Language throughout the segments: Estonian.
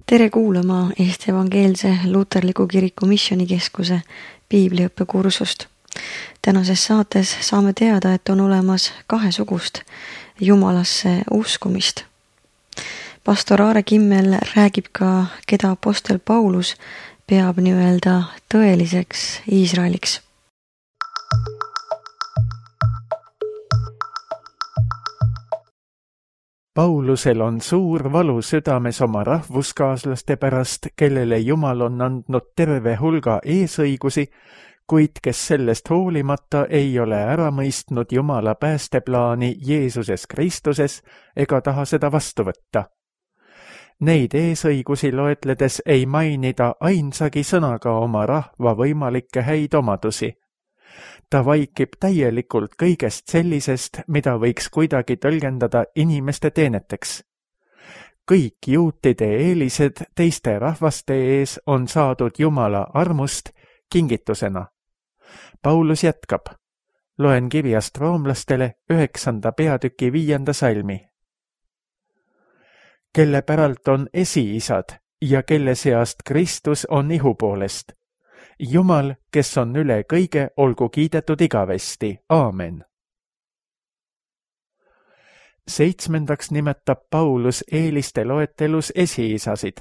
Tere kuulama Eesti Evangeelse Luterliku Kiriku Missioonikeskuse piibliõppekursust. Tänases saates saame teada, et on olemas kahesugust Jumalasse uskumist. Pastor Aare Kimmel räägib ka, keda apostel Paulus peab nii-öelda tõeliseks Iisraeliks. Paulusel on suur valu südames oma rahvuskaaslaste pärast, kellele Jumal on andnud terve hulga eesõigusi, kuid kes sellest hoolimata ei ole ära mõistnud Jumala päästeplaani Jeesuses Kristuses ega taha seda vastu võtta. Neid eesõigusi loetledes ei mainida ainsagi sõnaga oma rahva võimalikke häid omadusi. Ta vaikib täielikult kõigest sellisest, mida võiks kuidagi tõlgendada inimeste teeneteks. Kõik juutide eelised teiste rahvaste ees on saadud Jumala armust kingitusena. Paulus jätkab. Loen kirjast roomlastele 9. peatüki 5. salmi. Kelle päralt on esiisad ja kelle seast Kristus on ihu poolest. Jumal, kes on üle kõige, olgu kiidetud igavesti. Aamen. 7. nimetab Paulus eeliste loetelus esiisasid.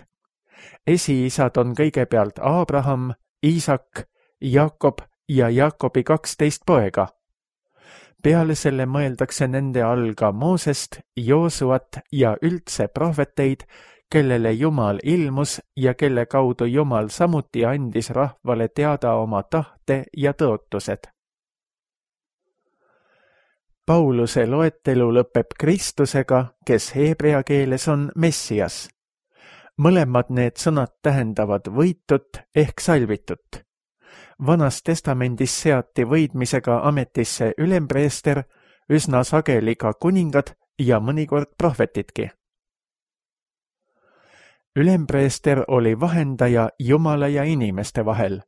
Esiisad on kõigepealt Abraham, Iisak, Jakob ja Jakobi 12 poega. Peale selle mõeldakse nende all ka Moosest, Joosuat ja üldse prohveteid, kellele Jumal ilmus ja kelle kaudu Jumal samuti andis rahvale teada oma tahte ja tõotused. Pauluse loetelu lõpeb Kristusega, kes heebrea keeles on Messias. Mõlemad need sõnad tähendavad võitut ehk salvitut. Vanas testamendis seati võidmisega ametisse ülempreester, üsna sageli ka kuningad ja mõnikord prohvetidki. Ülempreester oli vahendaja Jumala ja inimeste vahel.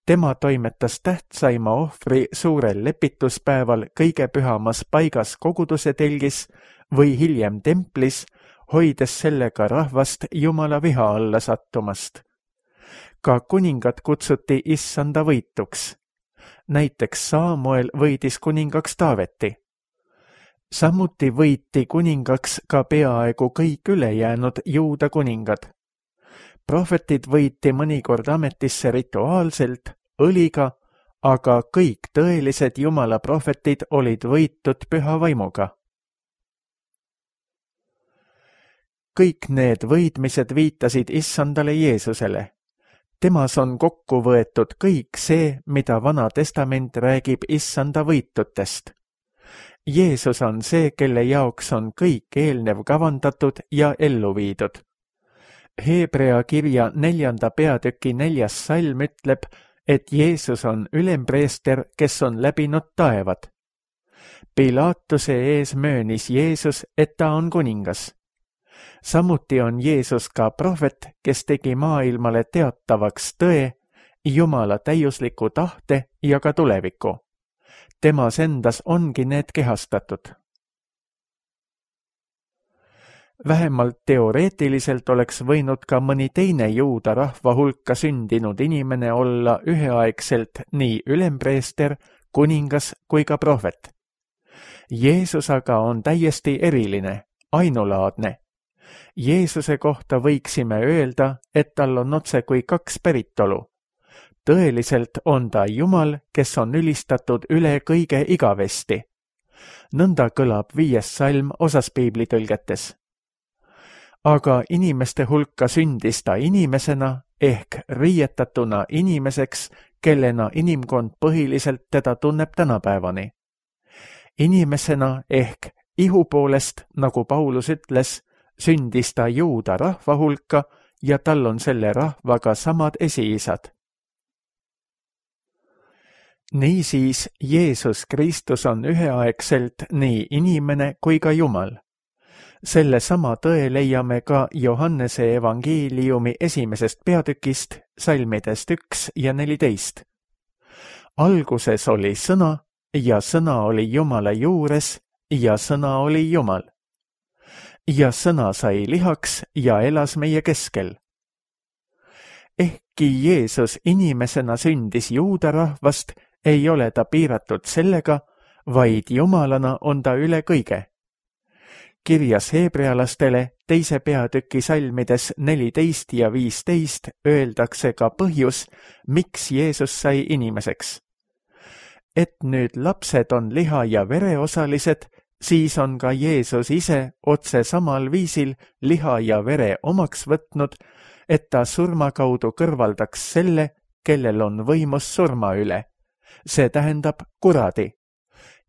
Tema toimetas tähtsaima ohvri suurel lepituspäeval kõige pühamas paigas koguduse telgis või hiljem templis, hoides sellega rahvast Jumala viha alla sattumast. Ka kuningad kutsuti issanda võituks. Näiteks Saamuel võidis kuningaks Taaveti. Samuti võiti kuningaks ka peaaegu kõik ülejäänud Juuda kuningad. Prohvetid võiti mõnikord ametisse rituaalselt, õliga, aga kõik tõelised Jumala prohvetid olid võitud püha vaimuga. Kõik need võidmised viitasid issandale Jeesusele. Temas on kokku võetud kõik see, mida Vana Testament räägib issanda võitutest. Jeesus on see, kelle jaoks on kõik eelnev kavandatud ja ellu viidud. Heebrea kirja 4. peatüki 4. salm ütleb, et Jeesus on ülempreester, kes on läbinud taevad. Pilaatuse ees möönis Jeesus, et ta on kuningas. Samuti on Jeesus ka prohvet, kes tegi maailmale teatavaks tõe, Jumala täiusliku tahte ja ka tuleviku. Temas endas ongi need kehastatud. Vähemalt teoreetiliselt oleks võinud ka mõni teine Juuda rahva hulka sündinud inimene olla üheaegselt nii ülempreester, kuningas kui ka prohvet. Jeesus aga on täiesti eriline, ainulaadne. Jeesuse kohta võiksime öelda, et tal on otse kui kaks päritolu. Tõeliselt on ta Jumal, kes on ülistatud üle kõige igavesti. Nõnda kõlab 5. salm osas piiblitõlgetes. Aga inimeste hulka sündis ta inimesena ehk riietatuna inimeseks, kellena inimkond põhiliselt teda tunneb tänapäevani. Inimesena ehk ihu poolest, nagu Paulus ütles, sündis ta Juuda rahva hulka ja tal on selle rahvaga samad esiisad. Niisiis, Jeesus Kristus on üheaegselt nii inimene kui ka Jumal. Selle sama tõe leiame ka Johannese evangeeliumi 1. peatükist, salmidest 1 ja 14. Alguses oli sõna ja sõna oli Jumala juures ja sõna oli Jumal. ja sõna sai lihaks ja elas meie keskel. Ehkki Jeesus inimesena sündis juuda rahvast, ei ole ta piiratud sellega, vaid jumalana on ta üle kõige. Kirjas heebrealastele 2. peatüki salmides 14 ja 15 öeldakse ka põhjus, miks Jeesus sai inimeseks. Et nüüd lapsed on liha ja vere osalised, siis on ka Jeesus ise otse samal viisil liha ja vere omaks võtnud, et ta surma kaudu kõrvaldaks selle, kellel on võimus surma üle. See tähendab kuradi.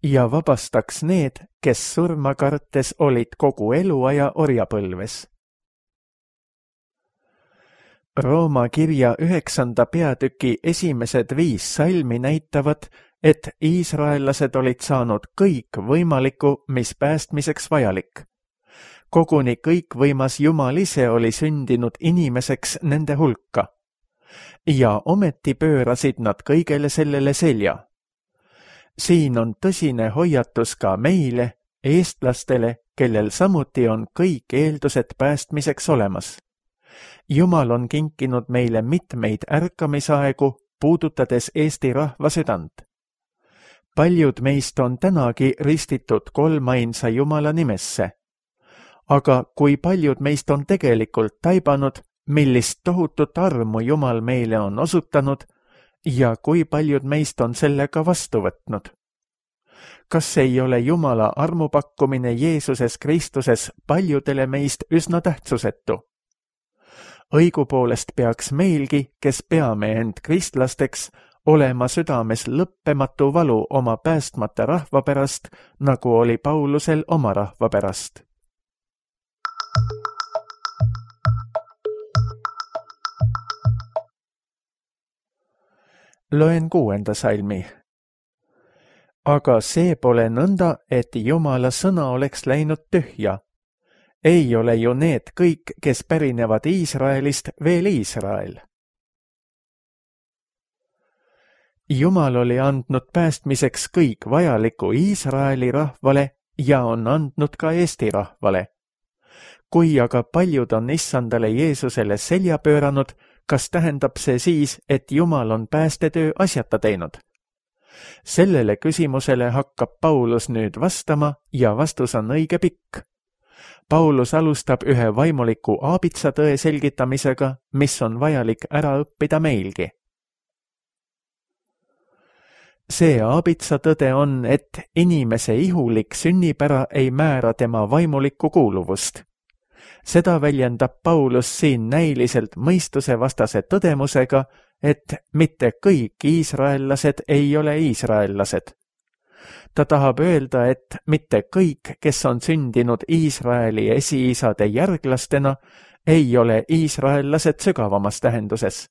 Ja vabastaks need, kes surma kartes olid kogu eluaja orjapõlves. Rooma kirja 9. peatüki esimesed 5 salmi näitavad, et iisraellased olid saanud kõik võimalikku, mis päästmiseks vajalik. Koguni kõikvõimas Jumal ise oli sündinud inimeseks nende hulka. Ja ometi pöörasid nad kõigele sellele selja. Siin on tõsine hoiatus ka meile, eestlastele, kellel samuti on kõik eeldused päästmiseks olemas. Jumal on kinkinud meile mitmeid ärkamisaegu, puudutades Eesti rahva südant. Paljud meist on tänagi ristitud kolmainsa Jumala nimesse. Aga kui paljud meist on tegelikult taibanud, millist tohutut armu Jumal meile on osutanud ja kui paljud meist on sellega vastu võtnud? Kas ei ole Jumala armupakkumine Jeesuses Kristuses paljudele meist üsna tähtsusetu? Õigupoolest peaks meilgi, kes peame end kristlasteks, olema südames lõppematu valu oma päästmata rahva pärast, nagu oli Paulusel oma rahva pärast. Loen 6. salmi. Aga see pole nõnda, et Jumala sõna oleks läinud tühja. Ei ole ju need kõik, kes pärinevad Iisraelist, veel Iisrael. Jumal oli andnud päästmiseks kõik vajaliku Iisraeli rahvale ja on andnud ka Eesti rahvale. Kui aga paljud on issandale Jeesusele selja pööranud, kas tähendab see siis, et Jumal on päästetöö asjata teinud? Sellele küsimusele hakkab Paulus nüüd vastama ja vastus on õige pikk. Paulus alustab ühe vaimuliku aabitsatõe selgitamisega, mis on vajalik ära õppida meilgi. See aabitsatõde on, et inimese ihulik sünnipära ei määra tema vaimulikku kuuluvust. Seda väljendab Paulus siin näiliselt mõistusevastase tõdemusega, et mitte kõik iisraellased ei ole iisraellased. Ta tahab öelda, et mitte kõik, kes on sündinud Iisraeli esiisade järglastena, ei ole iisraellased sügavamas tähenduses.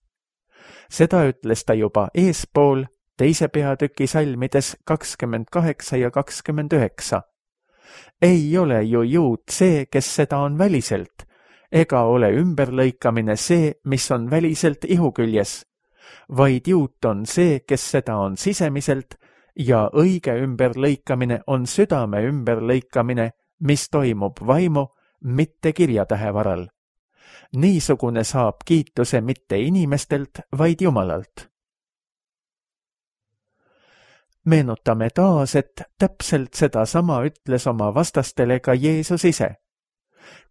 Seda ütles ta juba eespool 2. peatüki salmides 28 ja 29. Ei ole ju juut see, kes seda on väliselt, ega ole ümberlõikamine see, mis on väliselt ihuküljes, vaid juut on see, kes seda on sisemiselt, ja õige ümberlõikamine on südame ümberlõikamine, mis toimub vaimu, mitte kirjatähe varal. Niisugune saab kiituse mitte inimestelt, vaid Jumalalt. Meenutame taas, et täpselt sedasama ütles oma vastastele ka Jeesus ise.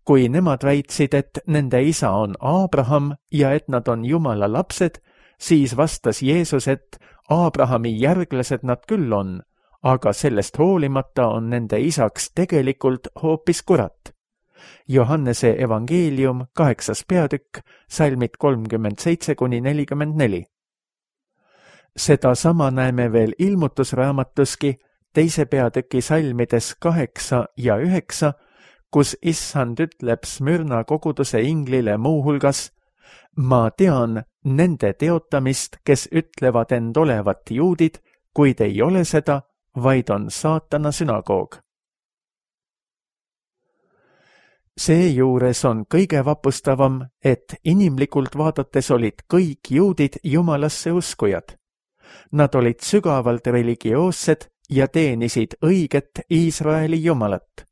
Kui nemad väitsid, et nende isa on Aabraham ja et nad on Jumala lapsed, siis vastas Jeesus, et Aabrahami järglased nad küll on, aga sellest hoolimata on nende isaks tegelikult hoopis kurat. Johannese evangeelium 8. peatükk, salmid 37–44. Seda sama näeme veel ilmutusraamatuski 2. peatüki salmides 8 ja 9, kus issand ütleb Smürna koguduse inglile muuhulgas: ma tean nende teotamist, kes ütlevad end olevat juudid, kuid ei ole seda, vaid on saatana sünagoog. Seejuures on kõige vapustavam, et inimlikult vaadates olid kõik juudid Jumalasse uskujad. Nad olid sügavalt religioossed ja teenisid õiget Iisraeli Jumalat.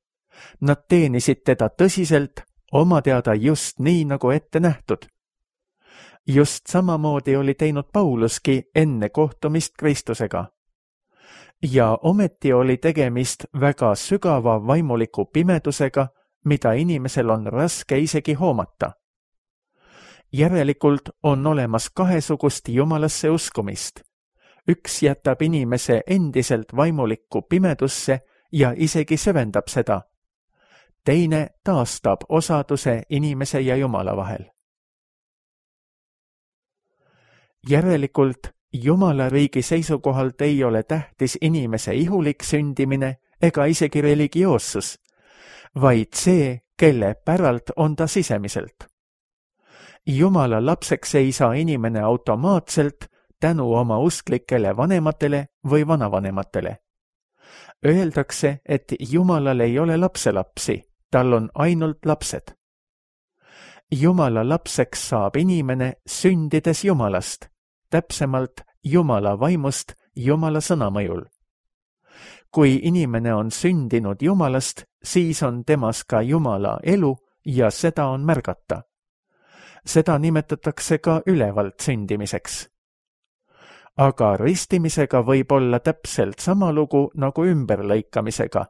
Nad teenisid teda tõsiselt, oma teada just nii, nagu ette nähtud. Just samamoodi oli teinud Pauluski enne kohtumist Kristusega. Ja ometi oli tegemist väga sügava vaimuliku pimedusega, mida inimesel on raske isegi hoomata. Järelikult on olemas kahesugust Jumalasse uskumist. Üks jätab inimese endiselt vaimulikku pimedusse ja isegi süvendab seda. Teine taastab osaduse inimese ja Jumala vahel. Järelikult Jumala riigi seisukohalt ei ole tähtis inimese ihulik sündimine ega isegi religioossus, vaid see, kelle päralt on ta sisemiselt. Jumala lapseks ei saa inimene automaatselt tänu oma usklikele vanematele või vanavanematele. Öeldakse, et Jumalal ei ole lapselapsi, tal on ainult lapsed. Jumala lapseks saab inimene sündides Jumalast, täpsemalt Jumala vaimust Jumala sõna mõjul. Kui inimene on sündinud Jumalast, siis on temas ka Jumala elu ja seda on märgata. Seda nimetatakse ka ülevalt sündimiseks. Aga ristimisega võib olla täpselt sama lugu nagu ümberlõikamisega.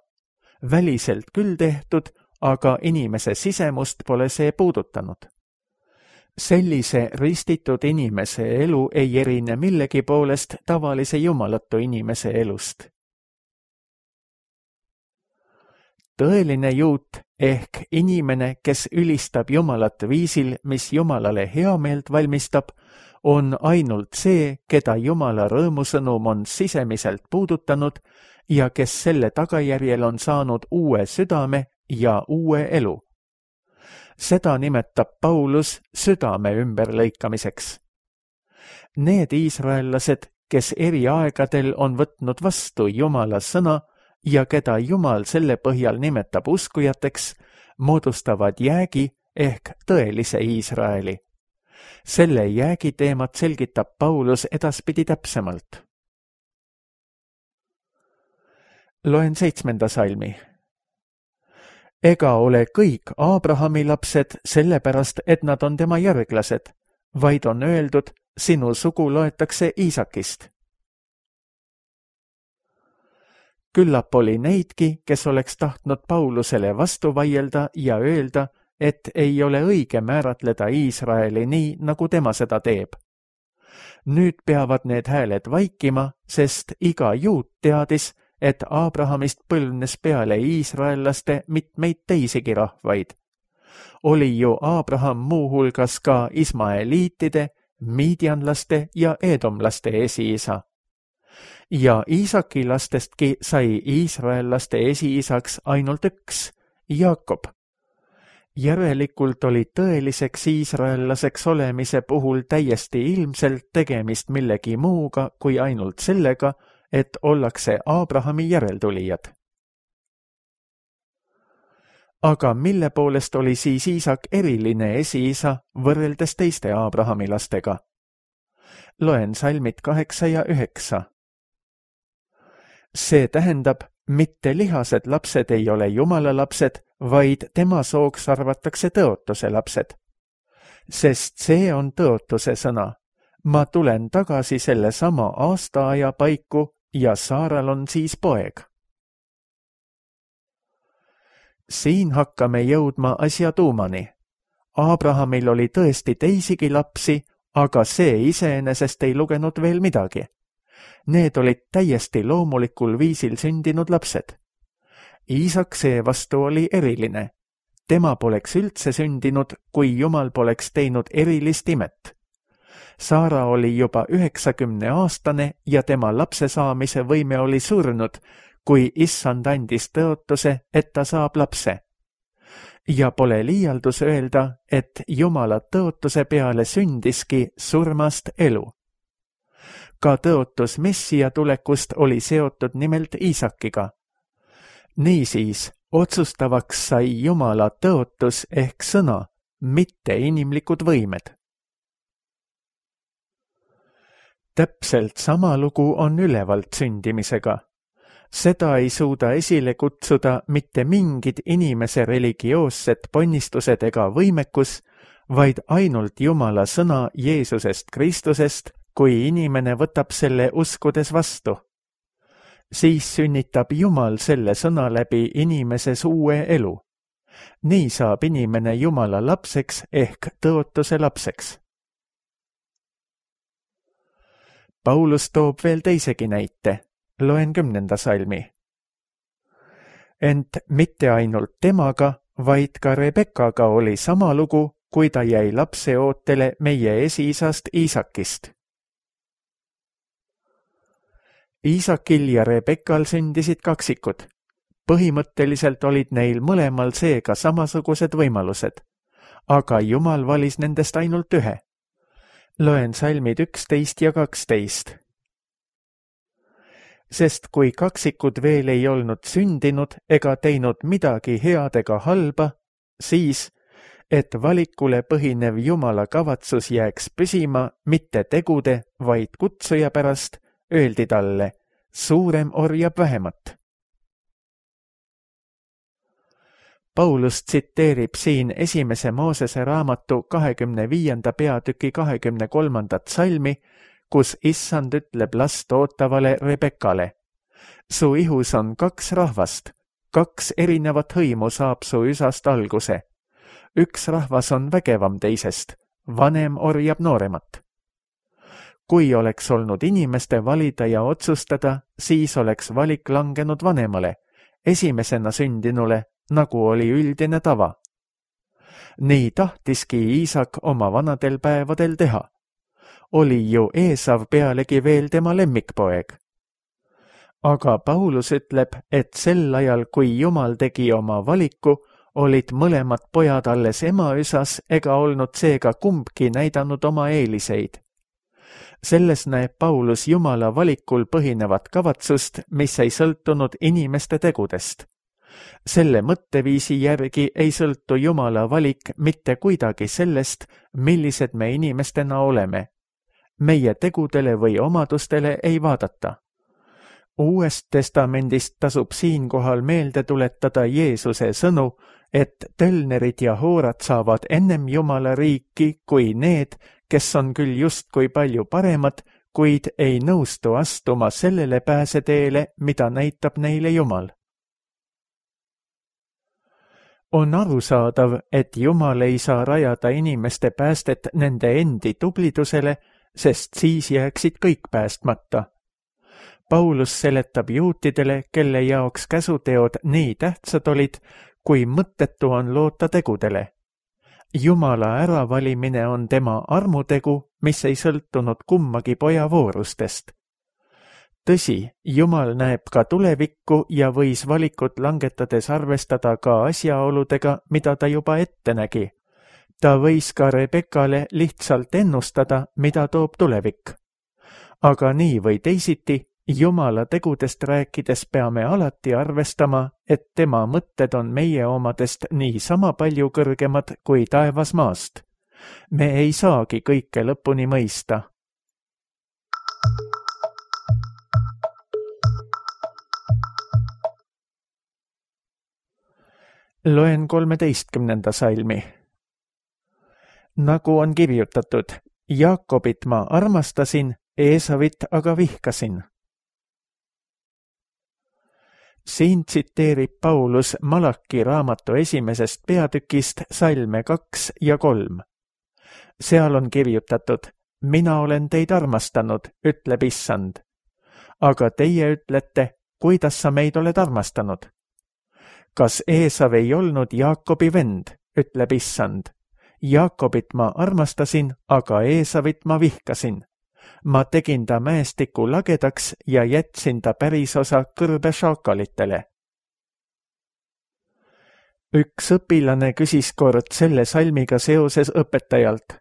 Väliselt küll tehtud, aga inimese sisemust pole see puudutanud. Sellise ristitud inimese elu ei erine millegi poolest tavalise jumalatu inimese elust. Tõeline juut ehk inimene, kes ülistab Jumalat viisil, mis Jumalale heameelt valmistab, on ainult see, keda Jumala rõõmusõnum on sisemiselt puudutanud ja kes selle tagajärjel on saanud uue südame ja uue elu. Seda nimetab Paulus südame ümberlõikamiseks. Need iisraellased, kes eri aegadel on võtnud vastu Jumala sõna ja keda Jumal selle põhjal nimetab uskujateks, moodustavad jäägi ehk tõelise Iisraeli. Selle jäägi teemat selgitab Paulus edaspidi täpsemalt. Loen 7. salmi. Ega ole kõik Abrahami lapsed sellepärast, et nad on tema järglased, vaid on öeldud, sinu sugu loetakse Iisakist. Küllap oli neidki, kes oleks tahtnud Paulusele vastu vaielda ja öelda, et ei ole õige määratleda Iisraeli nii, nagu tema seda teeb. Nüüd peavad need hääled vaikima, sest iga juut teadis, et Abrahamist põlvnes peale iisraellaste mitmeid teisigi rahvaid. Oli ju Abraham muuhulgas ka ismaeliitide, miidianlaste ja eedomlaste esiisa. Ja Iisaki lastestki sai iisraellaste esiisaks ainult üks, Jaakob. Järelikult oli tõeliseks iisraellaseks olemise puhul täiesti ilmselt tegemist millegi muuga kui ainult sellega, et ollakse Abrahami järeltulijad. Aga mille poolest oli siis Iisak eriline esiisa võrreldes teiste Abrahami lastega? Loen salmid 8 ja 9. See tähendab, mitte lihased lapsed ei ole Jumala lapsed, vaid tema sooks arvatakse tõotuse lapsed. Sest see on tõotuse sõna. Ma tulen tagasi selle sama aastaaja paiku ja Saaral on siis poeg. Siin hakkame jõudma asja tuumani. Abrahamil oli tõesti teisigi lapsi, aga see iseenesest ei lugenud veel midagi. Need olid täiesti loomulikul viisil sündinud lapsed. Iisak seevastu oli eriline. Tema poleks üldse sündinud, kui Jumal poleks teinud erilist imet. Saara oli juba 90-aastane ja tema lapse saamise võime oli surnud, kui Issand andis tõotuse, et ta saab lapse. Ja pole liialdus öelda, et Jumala tõotuse peale sündiski surmast elu. Ka tõotus Messia tulekust oli seotud nimelt Iisakiga. Niisiis, otsustavaks sai Jumala tõotus ehk sõna, mitte inimlikud võimed. Täpselt sama lugu on ülevalt sündimisega. Seda ei suuda esile kutsuda mitte mingid inimese religioossed ponnistused ega võimekus, vaid ainult Jumala sõna Jeesusest Kristusest, kui inimene võtab selle uskudes vastu. Siis sünnitab Jumal selle sõna läbi inimeses uue elu. Nii saab inimene Jumala lapseks ehk tõotuse lapseks. Paulus toob veel teisegi näite. Loen 10. salmi. Ent mitte ainult temaga, vaid ka Rebekaga oli sama lugu, kui ta jäi lapseootele meie esiisast Iisakist. Iisakil ja Rebekal sündisid kaksikud. Põhimõtteliselt olid neil mõlemal seega samasugused võimalused, aga Jumal valis nendest ainult ühe. Loen salmid 11 ja 12. Sest kui kaksikud veel ei olnud sündinud ega teinud midagi head ega halba, siis, et valikule põhinev Jumala kavatsus jääks püsima mitte tegude, vaid kutsuja pärast, öeldi talle, suurem orjab vähemat. Paulus tsiteerib siin 1. Moosese raamatu 25. peatüki 23. salmi, kus issand ütleb last ootavale Rebekale. Su ihus on 2 rahvast, 2 erinevat hõimu saab su üsast alguse. Üks rahvas on vägevam teisest, vanem orjab nooremat. Kui oleks olnud inimeste valida ja otsustada, siis oleks valik langenud vanemale, esimesena sündinule, nagu oli üldine tava. Nii tahtiski Iisak oma vanadel päevadel teha. Oli ju Eesav pealegi veel tema lemmikpoeg. Aga Paulus ütleb, et sel ajal, kui Jumal tegi oma valiku, olid mõlemad pojad alles ema üsas ega olnud seega kumbki näidanud oma eeliseid. Selles näeb Paulus Jumala valikul põhinevat kavatsust, mis ei sõltunud inimeste tegudest. Selle mõtteviisi järgi ei sõltu Jumala valik mitte kuidagi sellest, millised me inimestena oleme. Meie tegudele või omadustele ei vaadata. Uuest testamendist tasub siinkohal meelde tuletada Jeesuse sõnu, et tölnerid ja hoorad saavad ennem Jumala riiki kui need, kes on küll justkui palju paremad, kuid ei nõustu astuma sellele pääseteele, mida näitab neile Jumal. On arusaadav, et Jumal ei saa rajada inimeste päästet nende endi tublidusele, sest siis jääksid kõik päästmata. Paulus seletab juutidele, kelle jaoks käsuteod nii tähtsad olid, kui mõttetu on loota tegudele. Jumala äravalimine on tema armutegu, mis ei sõltunud kummagi poja voorustest. Tõsi, Jumal näeb ka tulevikku ja võis valikut langetades arvestada ka asjaoludega, mida ta juba ette nägi. Ta võis ka Rebekale lihtsalt ennustada, mida toob tulevik. Aga nii või teisiti, Jumala tegudest rääkides peame alati arvestama, et tema mõtted on meie omadest nii sama palju kõrgemad kui taevas maast. Me ei saagi kõike lõpuni mõista. Loen 13. salmi. Nagu on kirjutatud, Jaakobit ma armastasin, Eesavit aga vihkasin. Siin tsiteerib Paulus Malaki raamatu 1. peatükist salme 2 ja 3. Seal on kirjutatud, mina olen teid armastanud, ütleb issand. Aga teie ütlete, kuidas sa meid oled armastanud? Kas Eesav ei olnud Jaakobi vend, ütleb issand. Jaakobit ma armastasin, aga Eesavit ma vihkasin. Ma tegin ta mäestiku lagedaks ja jätsin ta pärisosa kõrbe šaakalitele. Üks õpilane küsis kord selle salmiga seoses õpetajalt.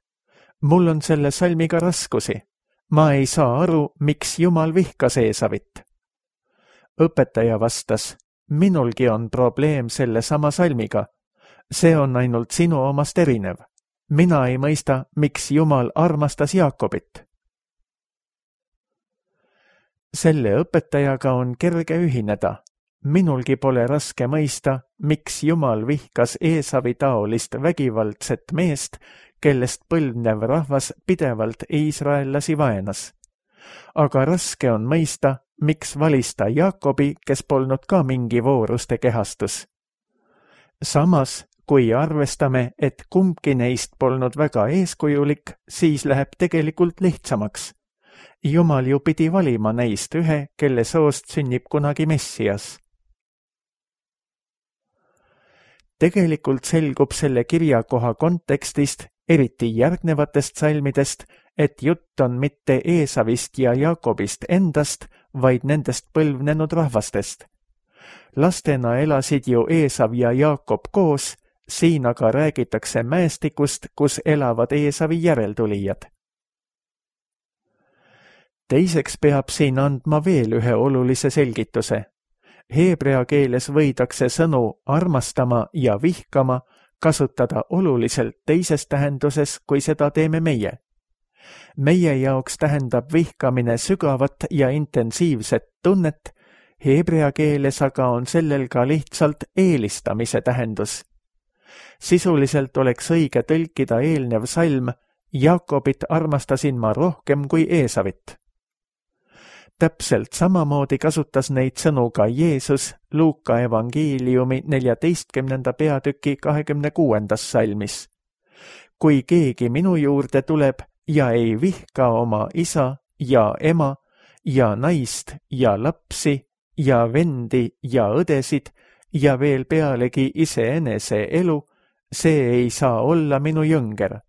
Mul on selle salmiga raskusi. Ma ei saa aru, miks Jumal vihkas Eesavit. Õpetaja vastas, minulgi on probleem selle sama salmiga. See on ainult sinu omast erinev. Mina ei mõista, miks Jumal armastas Jaakobit. Selle õpetajaga on kerge ühineda. Minulgi pole raske mõista, miks Jumal vihkas Eesavi taolist vägivaldset meest, kellest põlvnev rahvas pidevalt iisraellasi vaenas. Aga raske on mõista, miks valis ta Jaakobi, kes polnud ka mingi vooruste kehastus. Samas, kui arvestame, et kumbki neist polnud väga eeskujulik, siis läheb tegelikult lihtsamaks. Jumal ju pidi valima neist ühe, kelle soost sünnib kunagi Messias. Tegelikult selgub selle kirjakoha kontekstist, eriti järgnevatest salmidest, et jutt on mitte Eesavist ja Jaakobist endast, vaid nendest põlvnenud rahvastest. Lastena elasid ju Eesav ja Jaakob koos, siin aga räägitakse mäestikust, kus elavad Eesavi järeltulijad. Teiseks peab siin andma veel ühe olulise selgituse. Heebrea keeles võidakse sõnu armastama ja vihkama kasutada oluliselt teises tähenduses, kui seda teeme meie. Meie jaoks tähendab vihkamine sügavat ja intensiivset tunnet, heebrea keeles aga on sellel ka lihtsalt eelistamise tähendus. Sisuliselt oleks õige tõlkida eelnev salm Jaakobit armastasin ma rohkem kui Eesavit. Täpselt samamoodi kasutas neid sõnu ka Jeesus Luuka evangeeliumi 14. peatüki 26. salmis. Kui keegi minu juurde tuleb ja ei vihka oma isa ja ema ja naist ja lapsi ja vendi ja õdesid ja veel pealegi iseenese elu, see ei saa olla minu jõnger.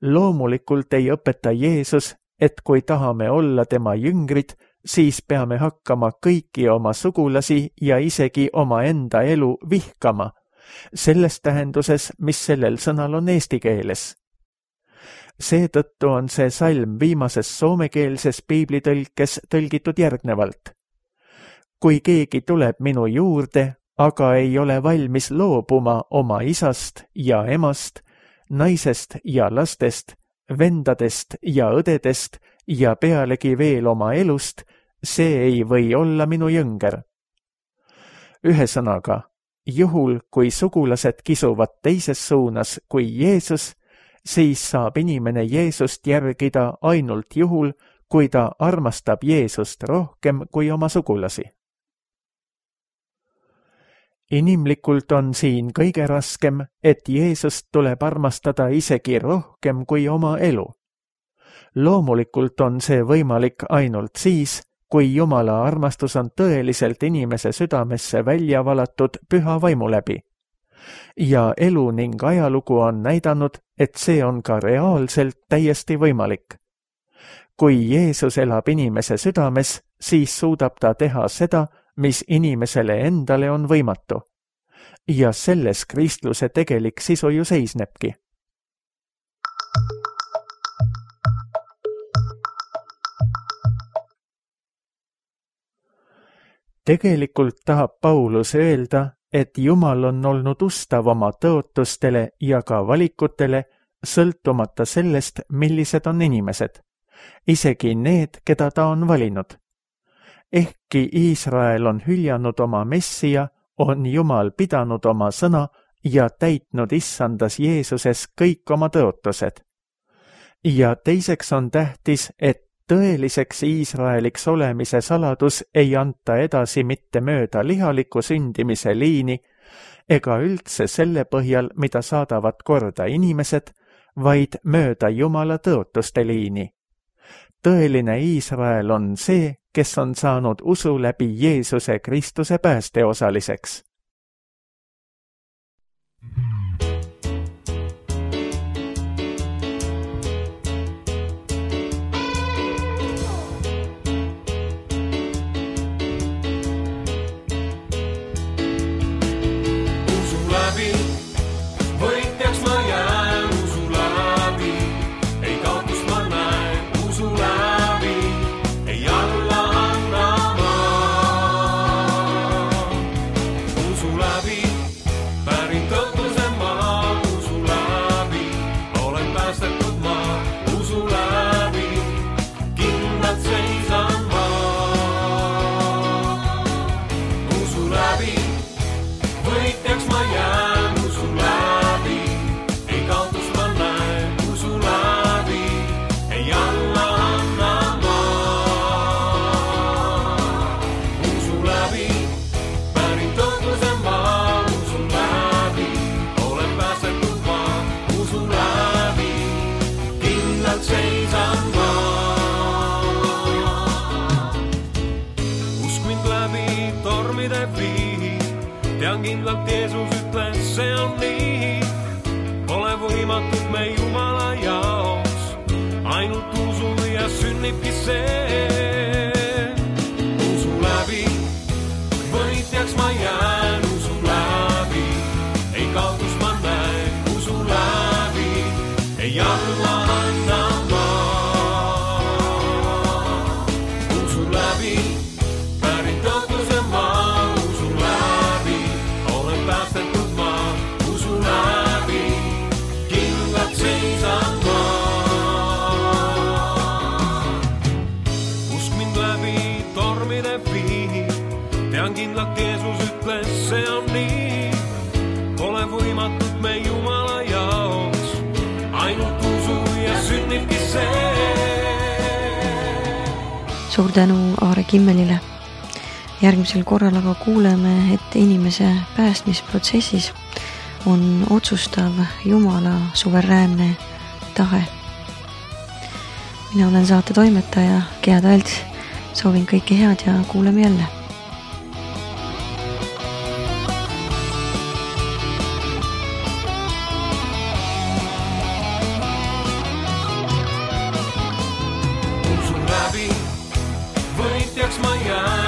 Loomulikult ei õpeta Jeesus, et kui tahame olla tema jüngrid, siis peame hakkama kõiki oma sugulasi ja isegi oma enda elu vihkama, selles tähenduses, mis sellel sõnal on eesti keeles. Seetõttu on see salm viimases soomekeelses piiblitõlkes tõlgitud järgnevalt. Kui keegi tuleb minu juurde, aga ei ole valmis loobuma oma isast ja emast, naisest ja lastest, vendadest ja õdedest ja pealegi veel oma elust, see ei või olla minu jõnger. Ühesõnaga, juhul kui sugulased kisuvad teises suunas kui Jeesus, siis saab inimene Jeesust järgida ainult juhul, kui ta armastab Jeesust rohkem kui oma sugulasi. Inimlikult on siin kõige raskem, et Jeesust tuleb armastada isegi rohkem kui oma elu. Loomulikult on see võimalik ainult siis, kui Jumala armastus on tõeliselt inimese südamesse välja valatud püha vaimu läbi. Ja elu ning ajalugu on näidanud, et see on ka reaalselt täiesti võimalik. Kui Jeesus elab inimese südames, siis suudab ta teha seda, mis inimesele endale on võimatu. Ja selles kristluse tegelik sisu ju seisnebki. Tegelikult tahab Paulus öelda, et Jumal on olnud ustav oma tõotustele ja ka valikutele, sõltumata sellest, millised on inimesed, isegi need, keda ta on valinud. Ehkki Iisrael on hüljanud oma Messia, on Jumal pidanud oma sõna ja täitnud issandas Jeesuses kõik oma tõotused. Ja teiseks on tähtis, et tõeliseks Iisraeliks olemise saladus ei anta edasi mitte mööda lihaliku sündimise liini ega üldse selle põhjal, mida saadavad korda inimesed, vaid mööda Jumala tõotuste liini. Tõeline Iisrael on see, kes on saanud usu läbi Jeesuse Kristuse päästeosaliseks. Pärin tõotuse on nii, pole võimatud me Jumala jaoks, ainult usu ja sünnibki see. Usu läbi võitjaks ma jään, usu läbi ei kaotus ma näen, usu läbi ei alla anna ma. Usu läbi pärit tõotluse ma, usu läbi olen päästetud ma, usu läbi kindlalt seisan ma. Usk mind läbi tormide viib, tean kindlalt Jeesus ütles, see on nii, pole võimatud me Jumala jaoks, ainult usu ja sünnibki see. Suur tänu Aare Kimmelile. Järgmisel korral aga kuuleme, et inimese päästmisprotsessis on otsustav Jumala suveräänne tahe. Mina olen saate toimetaja Gea Talts. Soovin kõike head ja kuuleme jälle. Usu läbi võitjaks ma jään.